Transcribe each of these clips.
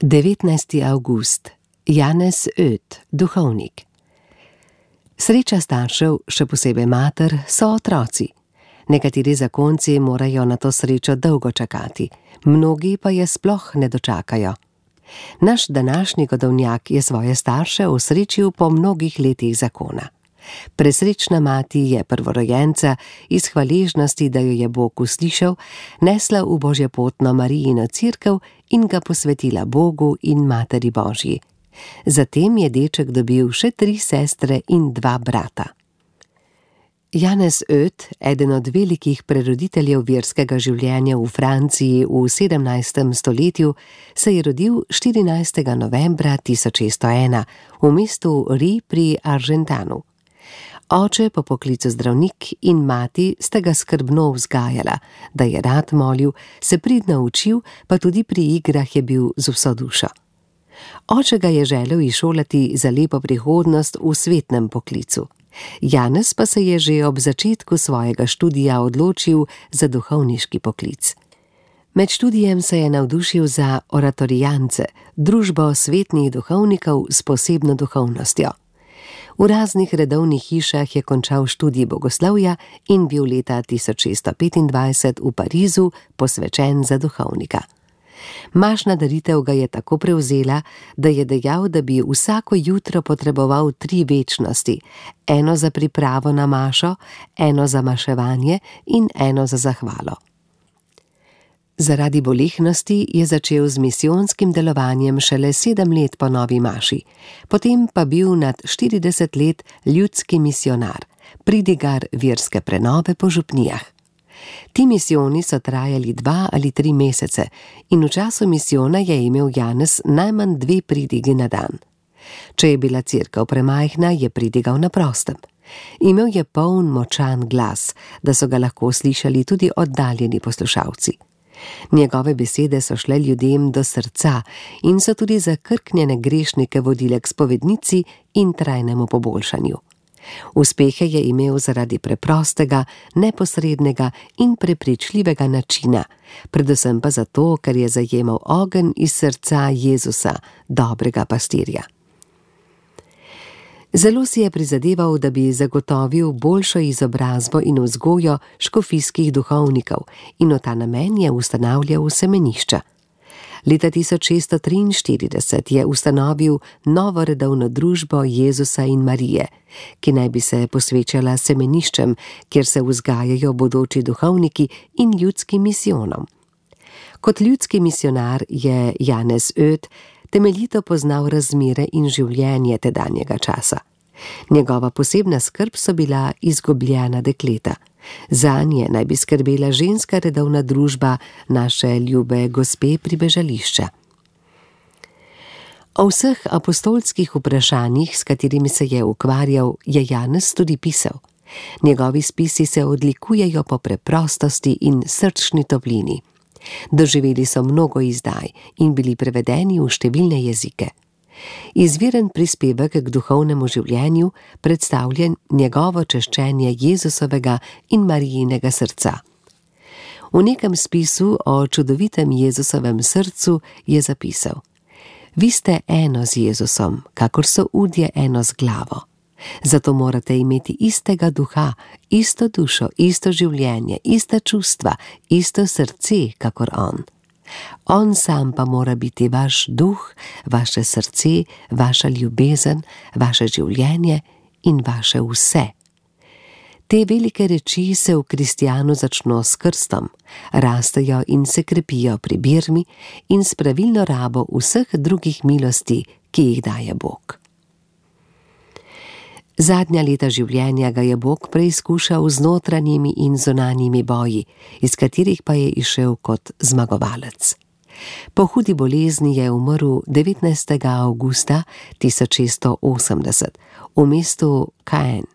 19. avgust. Janez Öt, duhovnik. Sreča staršev, še posebej mater, so otroci. Nekateri zakonci morajo na to srečo dolgo čakati, mnogi pa je sploh ne dočakajo. Naš današnji godovnjak je svoje starše osrečil po mnogih letih zakona. Presrečna mati je prvorojenca iz hvaležnosti, da jo je Bog uslišal, nesla v božjepotno Marijino cerkev in ga posvetila Bogu in Materi Božji. Zatem je deček dobil še 3 sestre in 2 brata. Janez Öt, eden od velikih preroditeljev verskega življenja v Franciji v 17. stoletju, se je rodil 14. novembra 1601 v mestu Ri pri Argentanu. Oče po poklicu zdravnik in mati sta ga skrbno vzgajala, da je rad molil, se pridno učil, pa tudi pri igrah je bil z vso dušo. Oče ga je želel izšolati za lepo prihodnost v svetnem poklicu. Janez pa se je že ob začetku svojega študija odločil za duhovniški poklic. Med študijem se je navdušil za oratorijance, družbo svetnih duhovnikov s posebno duhovnostjo. V raznih redovnih hišah je končal študij bogoslovja in bil leta 1625 v Parizu posvečen za duhovnika. Mašna daritev ga je tako prevzela, da je dejal, da bi vsako jutro potreboval 3 večnosti, eno za pripravo na mašo, eno za maševanje in eno za zahvalo. Zaradi bolehnosti je začel z misijonskim delovanjem šele 7 let po novi maši, potem pa bil nad 40 let ljudski misionar, pridigar verske prenove po župnijah. Ti misijoni so trajali 2 ali 3 mesece in v času misijona je imel Janez najmanj 2 pridigi na dan. Če je bila cerkev premajhna, je pridigal na prostem. Imel je poln močan glas, da so ga lahko slišali tudi oddaljeni poslušalci. Njegove besede so šle ljudem do srca in so tudi zakrknjene grešnike vodile k spovednici in trajnemu poboljšanju. Uspehe je imel zaradi preprostega, neposrednega in prepričljivega načina, predvsem pa zato, ker je zajemal ogenj iz srca Jezusa, dobrega pastirja. Zelo si je prizadeval, da bi zagotovil boljšo izobrazbo in vzgojo škofijskih duhovnikov in v ta namen je ustanavljal semenišča. Leta 1643 je ustanovil novo redovno družbo Jezusa in Marije, ki naj bi se posvečala semeniščem, kjer se vzgajajo bodoči duhovniki in ljudskim misijonom. Kot ljudski misionar je Janez Öt temeljito poznal razmere in življenje tedanjega časa. Njegova posebna skrb so bila izgubljena dekleta. Zanje naj bi skrbela ženska redovna družba naše ljube gospe pribežališča. O vseh apostolskih vprašanjih, s katerimi se je ukvarjal, je Janez tudi pisal. Njegovi spisi se odlikujejo po preprostosti in srčni toplini. Doživeli so mnogo izdaj in bili prevedeni v številne jezike. Izviren prispevek k duhovnemu življenju predstavlja njegovo češčenje Jezusovega in Marijinega srca. V nekem spisu o čudovitem Jezusovem srcu je zapisal: Vi ste eno z Jezusom, kakor so udje eno z glavo. Zato morate imeti istega duha, isto dušo, isto življenje, ista čustva, isto srce, kakor on. On sam pa mora biti vaš duh, vaše srce, vaša ljubezen, vaše življenje in vaše vse. Te velike reči se v kristjanu začno s krstom, rastejo in se krepijo pri birmi in s pravilno rabo vseh drugih milosti, ki jih daje Bog. Zadnja leta življenja ga je Bog preizkušal z notranjimi in zunanjimi boji, iz katerih pa je izšel kot zmagovalec. Po hudi bolezni je umrl 19. avgusta 1680 v mestu Caen.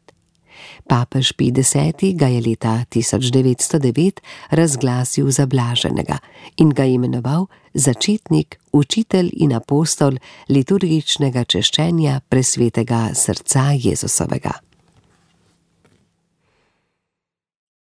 Papež Pij X. ga je leta 1909 razglasil za blaženega in ga imenoval začetnik, učitelj in apostol liturgičnega češčenja presvetega srca Jezusovega.